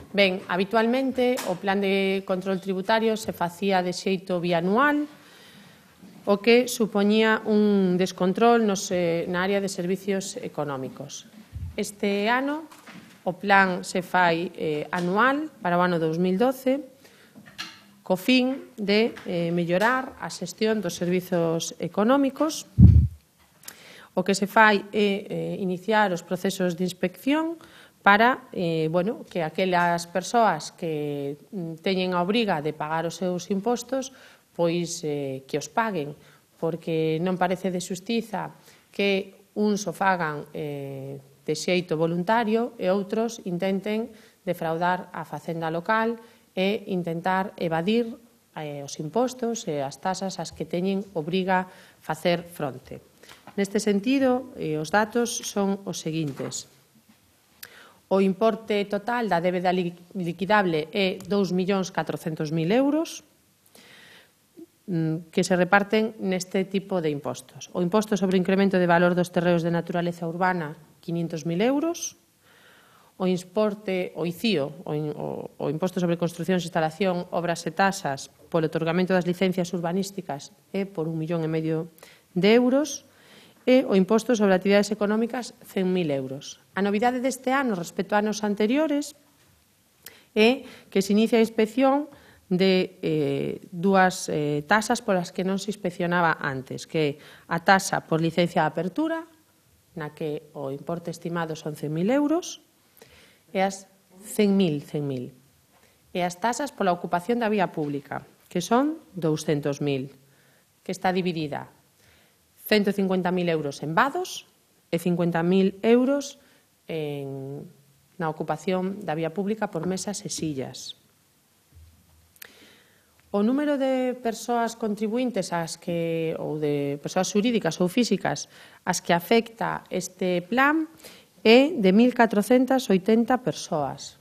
Ben, habitualmente o plan de control tributario se facía de xeito bianual, o que supoñía un descontrol na área de servicios económicos. Este ano o plan se fai anual para o ano 2012 co fin de mellorar a xestión dos servizos económicos. O que se fai é iniciar os procesos de inspección para que aquelas persoas que teñen a obriga de pagar os seus impostos pois que os paguen, porque non parece de xustiza que uns o fagan de xeito voluntario e outros intenten defraudar a facenda local e intentar evadir os impostos e as tasas ás que teñen obriga facer fronte. Neste sentido, os datos son os seguintes. O importe total da débeda liquidable é 2.400.000 euros, que se reparten neste tipo de impostos. O imposto sobre o incremento de valor dos terreos de naturaleza urbana, 500.000 euros. O importe, o ICIO, o imposto sobre construcións, instalación, obras e tasas, polo otorgamento das licencias urbanísticas é por 1,5 millón de euros. E o imposto sobre actividades económicas, 100.000 euros. A novidade deste ano respecto a anos anteriores é que se inicia a inspección de dúas tasas polas que non se inspeccionaba antes, que é a tasa por licencia de apertura, na que o importe estimado son 100.000 euros, e as 100.000, e as tasas pola ocupación da vía pública, que son 200.000, que está dividida 150.000 euros en vados e 50.000 euros na ocupación da vía pública por mesas e sillas. O número de persoas contribuintes ou de persoas xurídicas ou físicas ás que afecta este plan é de 1.480 persoas.